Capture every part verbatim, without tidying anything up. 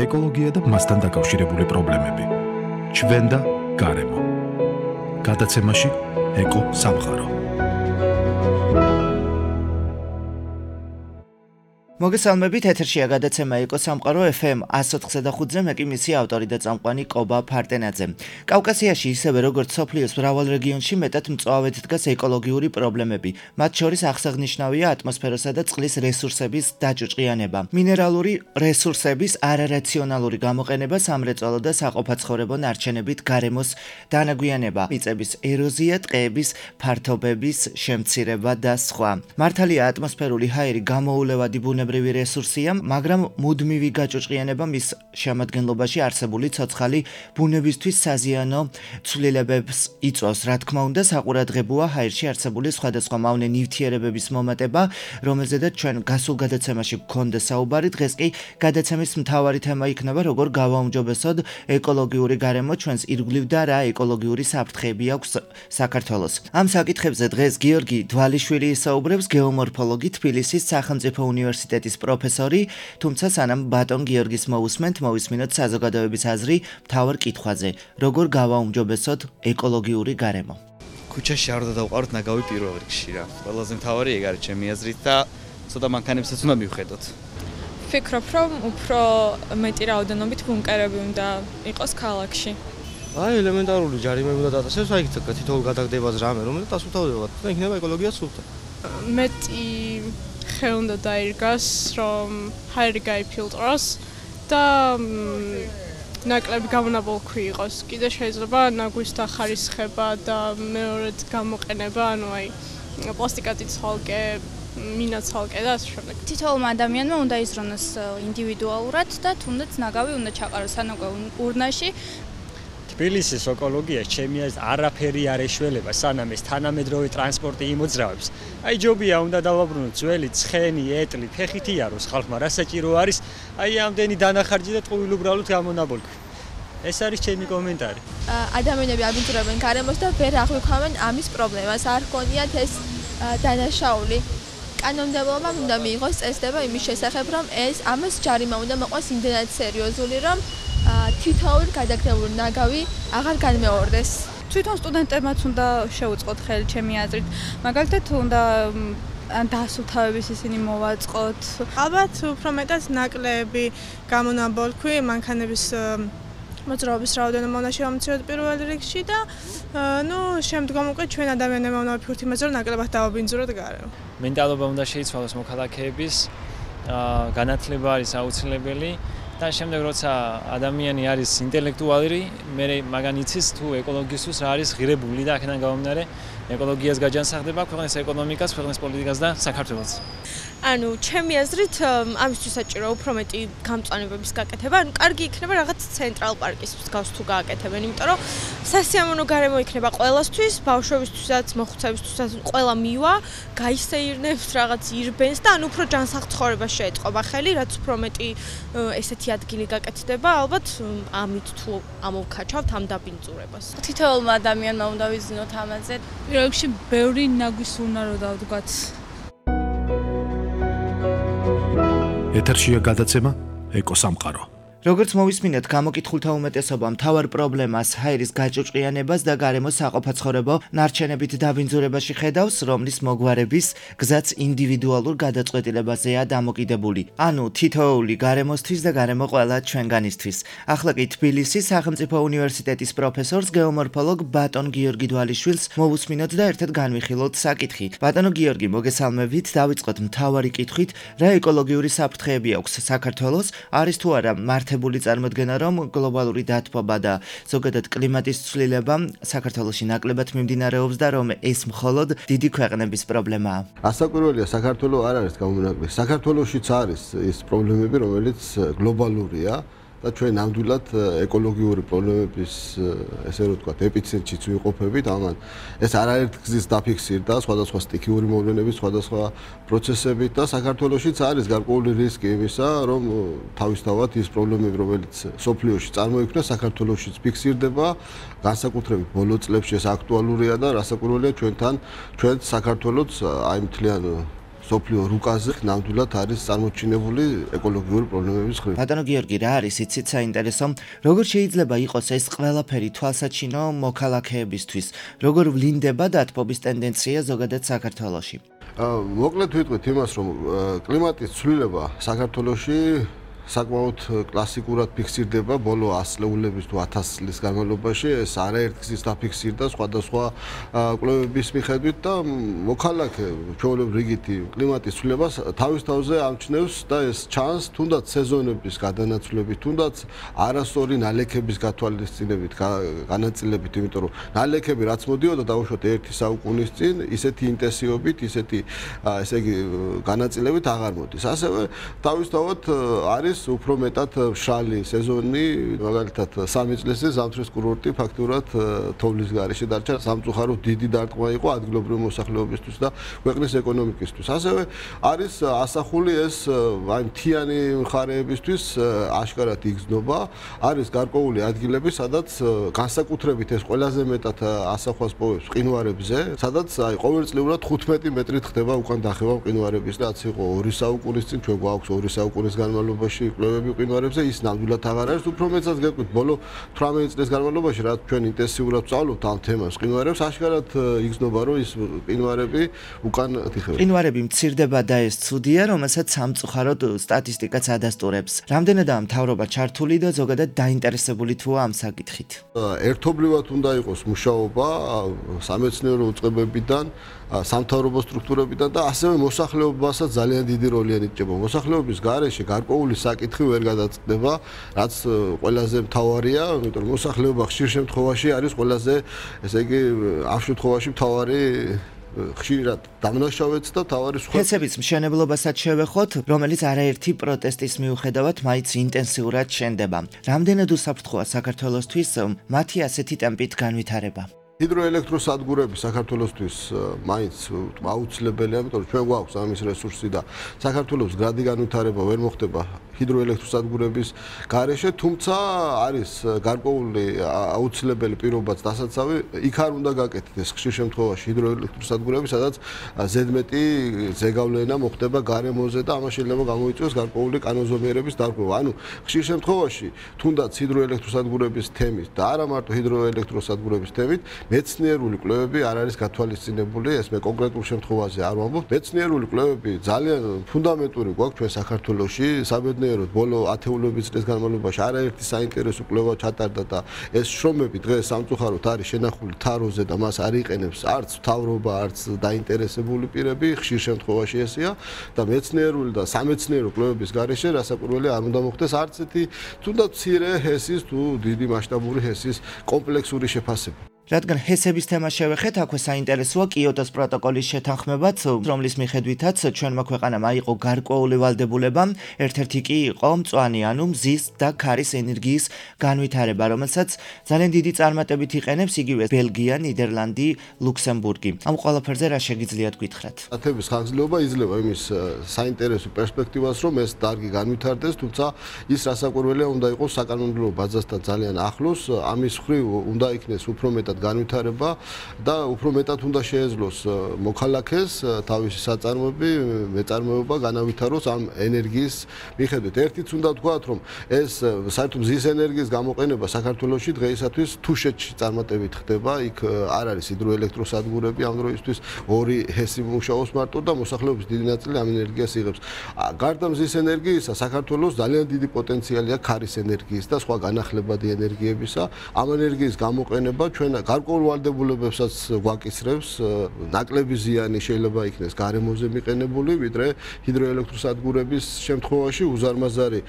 ეკოლოგია და მასთან დაკავშირებული პრობლემები. ჩვენ და გარემო. გადაცემაში ეკო სამყარო. მოგესალმებით, ეთერშია გადაცემა ეკო სამყარო ეფ ემ εκατს ოთხზე და ხუთზე, მე კი მისი ავტორი და წამყვანი კობა ფარტენაძე. კავკასიაში ისევე როგორც სოფლიოს მრავალ რეგიონში მეტად მწვავედ დგას ეკოლოგიური პრობლემები. მათ შორის აღსანიშნავია ატმოსფეროსა და წყლის რესურსების დაჭუჭყიანება. მინერალური რესურსების არარაციონალური გამოყენება, სამრეწველო და საყოფაცხოვრებო ნარჩენებით გარემოს დანაგვიანება, მიწების ეროზია, ტყეების ფართობების შემცირება და სხვა. მართალია ატმოსფერული ჰაერი გამოულევადი ბუნებრივი რესურსია, მაგრამ მუდმივი გაჭუჭყიანება მის შემადგენლობაში არსებული ცოცხალი ბუნებისთვის საზიანო ცვლილებებს იწვევს. რა თქმა უნდა, საყურადღებოა ჰაერში არსებული სხვადასხვა მავნე ნივთიერებების მომატება, რომელზედაც ჩვენ გასულ გადაცემაში გქონდა საუბარი. დღეს კი გადაცემის მთავარი თემა იქნება, როგორ გავაუმჯობესოთ ეკოლოგიური გარემო ჩვენს ირგვლივ და რა ეკოლოგიური საფრთხეები აქვს საქართველოს. ამ საკითხებზე დღეს გიორგი დვალიშვილი ისაუბრებს, გეომორფოლოგი, თბილისის სახელმწიფო უნივერსიტეტის პროფესორი, თუმცა სანამ ბატონ გიორგის მოусმენთ, მოვისმინოთ საზოგადოების აზრი მთავარ კითხვაზე, როგორ გავაუმჯობესოთ ეკოლოგიური გარემო. ქუჩაში არ უნდა დავყაროთ ნაგავი პირველ რიგში რა. ყველაზე მთავარი ეგ არის ჩემი აზრით და ცოტა მანქანებსაც უნდა მივხედოთ. ვფიქრობ, რომ უფრო მეტი რაოდენობით ბუნკერები უნდა იყოს ქალაქში. აი, ელემენტარული ჯარიმები უნდა დაწესოს, აი თითოეულ გადაგდებაზე რამე, რომელიც დასუფთავდება და იქნება ეკოლოგია სუფთა. მეტი ხე უნდა დაირგას, რომ ჰაერი გაიფილტროს და ნაკლები გამონაბოლქვი იყოს. კიდე შეიძლება ნაგვის დახარისხება და მეორედ გამოყენება, ანუ აი პლასტიკათი ცალკე, მინა ცალკე და ასე შემდეგ. თითოეულმა ადამიანმა უნდა იზრუნოს ინდივიდუალურად და თუნდაც ნაგავი უნდა ჩაყაროს ანაკვე ურნაში. თბილისის ეკოლოგია ჩემი აზრით არაფერი არ ეშველება, სანამ ეს თანამედროვე ტრანსპორტი იმოძრავებს. აი ჯობია უნდა დავაბრუნოთ ძველი ცხენი, ეტლი, ფეხით იაროს ხალხმა, რა საჭირო არის, აი ამდენი დანახარჯი და ტყუილ უბრალოდ გამონაბოლქვი. ეს არის ჩემი კომენტარი. ადამიანები აბინძურებენ გარემოს და ვერ აღვიქვამენ ამის პრობლემას, არ ჰქონიათ ეს დანაშაული. კანონმდებლობამ უნდა მიიღოს წესდება იმის შესახებ, რომ ეს ამას ჯარიმა უნდა მოყვას იმდენად სერიოზული, რომ თითოეული გადაგდებული ნაგავი აღარ განმეორდეს. თვითონ სტუდენტებმაც უნდა შეუწყოთ ხელი ჩემი აზრით. მაგალითად უნდა დასუფთავების ისინი მოვაწყოთ. ალბათ უფრო მეტად ნაკლები გამონაბოლქვი, მანქანების მოძრაობის რაოდენობა უნდა შევამციროთ პირველ რიგში და ნუ შემდგომ უკვე ჩვენ ადამიანებმა უნდა ვფიქროთ იმაზე, რომ ნაკლებად დავაბინძუროთ გარემო. მენტალობა უნდა შეიცვალოს მოქალაქეების, განათლება არის აუცილებელი. და შემდეგ როცა ადამიანი არის ინტელექტუალი, მე მაგან იცის თუ ეკოლოგიისთვის რა არის ღირებული და აქედან გამომდინარე ეკოლოგიას გაჯანსაღდება ქვეყნის ეკონომიკას, ქვეყნის პოლიტიკას და საქართველოს. ანუ ჩემი აზრით ამისთვის საჭირო უფრო მეტი გამწვანებების გაკეთება, ანუ კარგი იქნება რაღაც ცენტრალ პარკის მსგავს თუ გააკეთებენ, იმიტომ რომ სასიამოვნო გარემო იქნება ყველასთვის, ბავშვებისთვისაც, მოხუცებისთვისაც, ყველა მივა, გაისეირნებს, რაღაც ირბენს და ანუ უფრო ჯანსაღ ცხოვრებას შეეწყობა ხელი, რაც უფრო მეტი ესეთი ადგილი გაკეთდება, ალბათ ამით თუ ამოვქაჩავთ ამ დაბინძურებას. თითოეულმა ადამიანმა უნდა ვიზნოთ ამაზე. პირველ რიგში ბევრი ნაგვის უნარო დავდგათ. ეთერშია გადაცემა ეკო სამყარო. როგორც მოვისმინეთ, გამოკითხულთა უმეტესობა მთავარ პრობლემას ჰაერის გაჭუჭყიანებას და გარემოს საყოფაცხოვრებო ნარჩენებით დაბინძურებაში ხედავს, რომლის მოგვარების გზაც ინდივიდუალურ გადაწყვეტილებაზეა დამოკიდებული. ანუ თითოეული გარემოსთვის და გარემო ყველა ჩვენგანისთვის. ახლა კი თბილისის სახელმწიფო უნივერსიტეტის პროფესორს, გეომორფოლოგ ბატონ გიორგი დვალიშვილს მოვუსმინოთ და ერთად განვიხილოთ საკითხი. ბატონო გიორგი, მოგესალმებით, დავიწყოთ მთავარი კითხვით, რა ეკოლოგიური საფრთხეები აქვს საქართველოს, არის თუ არა მართებული წარმოდგენა, რომ გლობალური დათბობა და ზოგადად კლიმატის ცვლილება საქართველოში ნაკლებად მიმდინარეობს და რომ ეს მხოლოდ დიდი ქვეყნების პრობლემაა. ასაკვირველია, საქართველოს არ არის გამონაკლისი. საქართველოშიც არის ის პრობლემები, რომელიც გლობალურია და ჩვენ ნამდვილად ეკოლოგიური პრობლემების ესე რომ ვთქვათ, ეპიცენტრშიც ვიყოფებით, ამან ეს არაერთ გზის დაფიქსირდა სხვადასხვა სტიქიური მოვლენების, სხვადასხვა პროცესებით და საქართველოშიც არის გარკვეული რისკი იმისა, რომ თავისთავად ის პრობლემები, რომელიც სოფლიოში წარმოიქმნა, საქართველოშიც ფიქსირდება, განსაკუთრებით ბოლო წლებში ეს აქტუალურია და რასაკვირველია ჩვენთან, ჩვენ საქართველოს აი მთლიან სოფლიო რუკაზე ნამდვილად არის წარმოჩინებული ეკოლოგიური პრობლემების ხრი. ბატონო გიორგი, რა არის იცით საინტერესო? როგორ შეიძლება იყოს ეს ყველაფერი თვალსაჩინო მოქალაქეებისთვის? როგორ ვლინდება დათბობის ტენდენცია ზოგადად საქართველოში? მოკლედ ვიტყვით იმას, რომ კლიმატის ცვლილება საქართველოში საკმაოდ კლასიკურად ფიქსირდება ბოლო ას წლების თუ ათას წლის განმავლობაში. ეს არაერთ გზის დაფიქსირდა სხვადასხვა კვლევების მიხედვით და მოქალაქე ჩვეულებრივ რიგითი კლიმატის ცვლილებას თავის თავზე ამჩნევს და ეს ჩანს თუნდაც სეზონების გადანაცვლებით, თუნდაც არასწორი ნალექების გათვალისწინებით, განაწილებით, იმიტომ რომ ნალექები რაც მოდიოდა დაუშვათ ერთი საუკუნის წინ, ისეთი ინტენსივობით, ისეთი ესე იგი განაწილებით აღარ მოდის. ასევე თავისთავად არის უფრო მეტად მშრალი სეზონი, მაგალითად სამი წლის წინ ზამთრის კურორტი ფაქტურად თოვლის გარეშე დარჩა, სამწუხაროდ დიდი დარტყმა იყო ადგილობრივი მოსახლეობისთვის და ქვეყნის ეკონომიკისთვის. ასევე არის ასახული ეს აი მთიანი მხარეებისთვის აშკარად იგრძნობა, არის გარკვეული ადგილები, სადაც განსაკუთრებით ეს ყველაზე მეტად ასახვას პოვებს მყინვარებზე, სადაც აი ყოველწლიურად ხუთმეტი მეტრით ხდება უკან დახევა მყინვარების და რაც იყო ორი საუკუნის წინ, ჩვენ გვაქვს ორი საუკუნის განმავლობაში კვლევები მყინვარებზე, ის ნამდვილად აღარ არის. უფრო მეტად გეტყვით, ბოლო თვრამეტი წლის განმავლობაში, რაც ჩვენ ინტენსიურად ვსწავლობთ ამ თემას მყინვარებს, აშკარად იგრძნობა, რომ ის მყინვარები უკან თიხებენ. მყინვარები მცირდება და ეს ცუდია, რომელსაც სამწუხაროდ სტატისტიკაც ადასტურებს. რამდენადაა მთავრობა ჩართული და ზოგადად დაინტერესებული თუ ამ საკითხით? ერთობლივად უნდა იყოს მუშაობა სამეცნიერო უწყებებიდან, სამთავრობო სტრუქტურებიდან და ასევე მოსახლეობასაც ძალიან დიდი როლი ენიჭება. მოსახლეობის გარეშე გარკვეული საკითხი ვერ გადაწყდება, რაც ყველაზე მთავარია, იმიტომ რომ მოსახლეობა ხშირ შემთხვევაში არის ყველაზე, ესე იგი, ამ შემთხვევაში მთავარი ხშირად დამნაშავეც და თავარი სხვა ფესების მშენებლობასაც შევეხოთ, რომელიც არაერთი პროტესტის მიუხედავად მაინც ინტენსიურად შენდება. რამდენად უსაფრთხოა საქართველოსთვის მათი ასეთი ტემპით განვითარება? ჰიდროელექტროსადგურები საქართველოსთვის მაინც აუცილებელია, იმიტომ რომ ჩვენ გვაქვს ამის რესურსი და საქართველოს გრადი განვითარება ვერ მოხდება ჰიდროელექტროსადგურების გარეშე, თუმცა არის გარკვეული აუცილებელი პირობაც დასაცავი, იქ არ უნდა გაკეთდეს ეს ხშირ შემთხვევაში ჰიდროელექტროსადგურები, სადაც ზედმეტი ზეგავლენა მოხდება გარემოზე და ამას შეიძლება გამოიწვიოს გარკვეული კანონზომიერების დარღვევა. ანუ ხშირ შემთხვევაში თუნდაც ჰიდროელექტროსადგურების თემით და არა მარტო ჰიდროელექტროსადგურების თემით მეცნიერული კვლევები არ არის გათვალისწინებული, ეს მე კონკრეტულ შემთხვევაზე არ ვამბობ. მეცნიერული კვლევები ძალიან ფუნდამენტური გვაქვს ჩვენ საქართველოში, საბედნიეროდ ბოლო ათეულობის წლის განმავლობაში არაერთი საინტერესო კვლევა ჩატარდა და ეს შრომები დღეს სამწუხაროდ არის შენახული თაროზე და მას არ იყენებს არც მთავრობა, არც დაინტერესებული პირები, ხშირ შემთხვევაში ესეა და მეცნიერული და სამეცნიერო კვლევების გარეშე რასაკვირველი არ უნდა მოხდეს არც ერთი თუნდაც მცირე ჰესის თუ დიდი მასშტაბური ჰესის კომპლექსური შეფასება. რადგან ჰესების თემა შევეხეთ, აქვე საინტერესოა კიოტოს პროტოკოლის შეთანხმებაც, რომლის მიხედვითაც ჩვენმა ქვეყანამ აიღო გარკვეული ვალდებულება, ერთ-ერთი კი იყო მწვანე, ანუ მზის და ქარის ენერგიის განვითარება, რომელსაც ძალიან დიდი წარმატებით იყენებს იგივე ბელგია, ნიდერლანდი, ლუქსემბურგი. ამ ყველაფერზე რა შეგიძლიათ გითხრათ? ათების ხანგრძლივობა იძლევა იმის საინტერესო პერსპექტივას, რომ ეს დარგი განვითარდეს, თუმცა ის რასაკვირველია უნდა იყოს საკანონმდებლო ბაზასთან ძალიან ახლოს, ამის მხრივ უნდა იქნეს უფრო მეტად განვითარება და უფრო მეტად უნდა შეეძლოს მოქალაქეს თავისი საწარმოები, მეწარმოება განავითაროს ამ ენერგიის მიხედვით. ერთიც უნდა ვთქვათ, რომ ეს საერთოდ მზის ენერგიის გამოყენება საქართველოში დღეისათვის თუშეთში წარმატებით ხდება, იქ არ არის ჰიდროელექტროსადგურები ამ დროისთვის, ორი ჰესი მუშაობს მარტო და მოსახლეობის დიდი ნაწილი ამ ენერგიას იღებს. გარდა მზის ენერგიისა, საქართველოს ძალიან დიდი პოტენციალი აქვს ქარის ენერგიის და სხვა განახლებადი ენერგიებისა. ამ ენერგიის გამოყენება ჩვენ გარკვეულ ვალდებულებებსაც გვაკისრებს, ნაკლები ზიანი შეიძლება იქნეს გარემოზე მიყენებული, ვიდრე ჰიდროელექტროსადგურების შემთხვევაში უზარმაზარი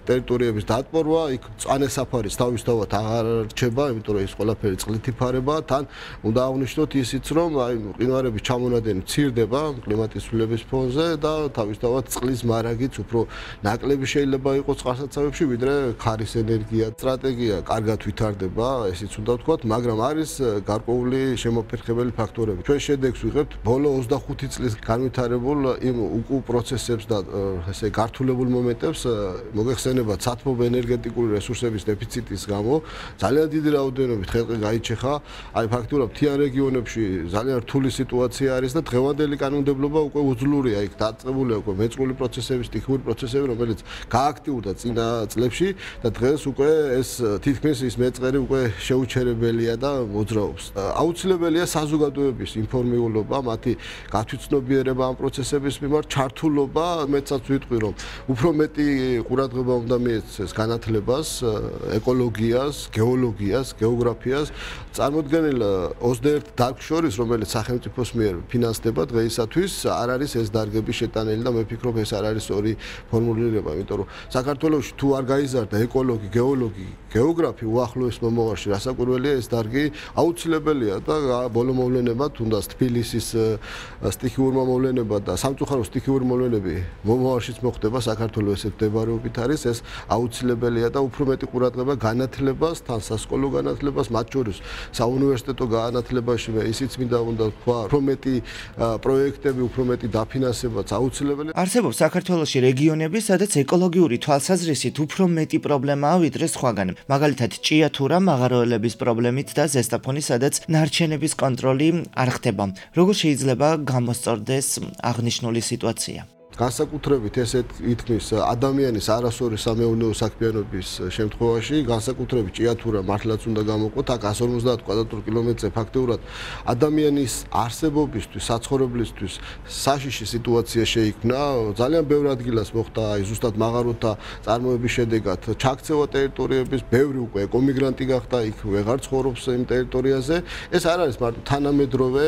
ტერიტორიების დატბორვა, იქ მწვანე საფარის თავისთავად აღარ რჩება, იმიტომ რომ ეს ყველაფერი წყლით იფარება, თან უნდა აღვნიშნოთ ისიც, რომ აი მყინვარების ჩამონადენი მცირდება კლიმატის ცვლილების ფონზე და თავისთავად წყლის მარაგიც უფრო ნაკლები შეიძლება იყოს წყალსაცავებში, ვიდრე ქარის ენერგია. სტრატეგია კარგად ვითარდება, ესეც უნდა ვთქვათ, მაგრამ არის გარკვეული შემოფერხებელი ფაქტორები. ჩვენ შედეგს ვიღებთ ბოლო ოცდახუთი წლის განვითარებულ იმ უკუ პროცესებს და ესე გართულებულ მომენტებს მოგეხსენებათ სათბობ ენერგეტიკული რესურსების დეფიციტის გამო ძალიან დიდი რაოდენობით ხელყი გაიჩეხა. აი ფაქტობრივად მთიან რეგიონებში ძალიან რთული სიტუაცია არის და დღევანდელი კანონმდებლობა უკვე უძლურია. იქ დაწყებულია უკვე მეწყრული პროცესების, სტიქიური პროცესები, რომელიც გააქტიურდა წინა წლებში და დღეს უკვე ეს თითქმის ის მეწყერი უკვე შეუჩერებელია და მოძრაობს. აუცილებელია საზოგადოების ინფორმირება, მათი გათვითცნობიერება ამ პროცესების მიმართ, ჩართულობა, მეცაც ვიტყვი რომ უფრო მეტი ყურადღება უნდა მიეცეს განათლებას, ეკოლოგიას, გეოლოგიას, გეოგრაფიას. წარმოდგენილ ოცდაერთ დარგს შორის, რომელიც სახელმწიფოს მიერ ფინანსდება დღეისათვის, არ არის ეს დარგები შეტანილი და მე ვფიქრობ ეს არ არის ორი ფორმულირება, იმიტომ რომ საქართველოში თუ არ გაიზარდა ეკოლოგი, გეოლოგი, გეოგრაფი უახლოეს მომავალში, რასაკვირველია ეს დარგი აუცილებელია და ბოლო მოვლენებად თუნდაც თბილისის სტიქიურმა მოვლენებად და სამწუხარო სტიქიური მოვლენები მომავალშიც მოხდება საქართველოს ესე მდებარეობით არის ეს აუცილებელია და უფრო მეტი ყურადღება განათლებას, თან სასკოლო განათლებას, მათ შორის საუნივერსიტეტო განათლებაში მე ისიც მინდა უნდა თქვა, უფრო მეტი პროექტები, უფრო მეტი დაფინანსებაც აუცილებელია. არსებობს საქართველოში რეგიონები, სადაც ეკოლოგიური თვალსაზრისით უფრო მეტი პრობლემაა ვიდრე სხვაგან. მაგალითად, ჭიათურა მაღაროელების პრობლემით და ზესტაფონი, სადაც ნარჩენების კონტროლი არ ხდება. როგორ შეიძლება გამოსწორდეს აღნიშნული სიტუაცია? განსაკუთრებით ესეთ ითქმის ადამიანის არასწორი სამეურნეო საქმიანობის შემთხვევაში, განსაკუთრებით ჭიათურა მართლაც უნდა გამოყოთ, აქ εκατს ორმოცდაათ კვადრატულ კილომეტრზე ფაქტობრივად ადამიანის არსებობისთვის, საცხოვრებლისთვის საშიში სიტუაცია შეიქმნა. ძალიან ბევრ ადგილას მოხდა აი ზუსტად მაღაროთა წარმოების შედეგად ჩაქცევა ტერიტორიების, ბევრი უკვე ეკომიგრანტი გახდა, იქ ვეღარ ცხოვრობს იმ ტერიტორიაზე. ეს არ არის მარტო თანამედროვე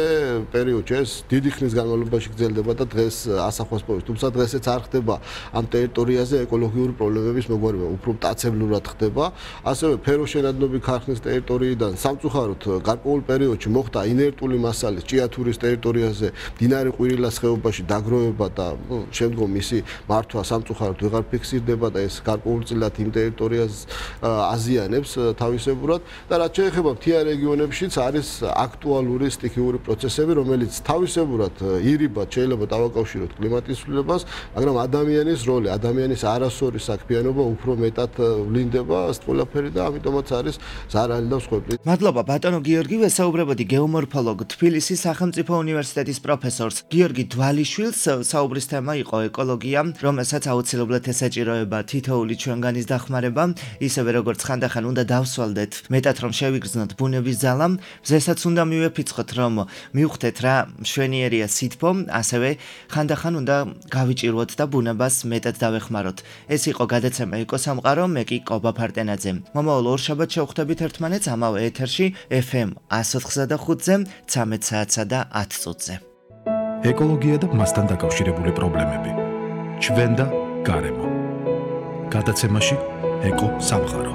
პერიოდში, ეს დიდი ხნის განმავლობაში გრძელდება და დღეს ასახავს პოვეს. თუმცა დღესაც არ ხდება ამ ტერიტორიაზე ეკოლოგიური პრობლემების მოგვარება, უფრო მტაცებლურად ხდება. ასევე ფეროშენადნობი ქარხნის ტერიტორიიდან სამწუხაროდ გარკვეულ პერიოდში მოხდა ინერტული მასალის ჭიათურის ტერიტორიაზე მდინარე ყვირილას ხეობაში დაგროვება და შემდგომ მისი მართვა სამწუხაროდ ვეღარ ფიქსირდება და ეს გარკვეულწილად იმ ტერიტორიას აზიანებს თავისებურად და რაც შეეხება მთიან რეგიონებშიც არის აქტუალური სტიქიური პროცესები, რომელიც თავისებურად ირიბად შეიძლება დავაკავშიროთ კლიმატის ცვლილებას, მაგრამ ადამიანის როლი, ადამიანის არასწორი საქმიანობა უფრო მეტად ვლინდება ეს ყველაფერი და ამიტომაც არის ზარალი და მსხვერპლი. მადლობა ბატონო გიორგი, ვესაუბრებოდი გეომორფოლოგ თბილისის სახელმწიფო უნივერსიტეტის პროფესორს გიორგი დვალიშვილს. საუბრის თემა იყო ეკოლოგია, რომელსაც აუცილებლად ესაჭიროება თითოეული ჩვენგანის დახმარება, ისევე როგორც ხანდახან უნდა დავსვალდეთ, მეტად რომ შევიგრძნოთ ბუნების ძალა, ზესაც უნდა მივეფიცხოთ, რომ მივხვდეთ რა მშვენიერია სითბო, ასევე ხანდახან უნდა გავიჭიროთ და ბუნებას მეტად დავეხმაროთ. ეს იყო გადაცემა ეკოსამყარო, მე კი კობა ფარტენაძე. მომავალ ორშაბათს შევხვდებით ერთმანეთს ამავე ეთერში ეფ ემ εκατს ოთხმოცდახუთზე, ცამეტ საათსა და ათ წუთზე. ეკოლოგია და მასთან დაკავშირებული პრობლემები. ჩვენ და გარემო. გადაცემაში ეკო სამყარო.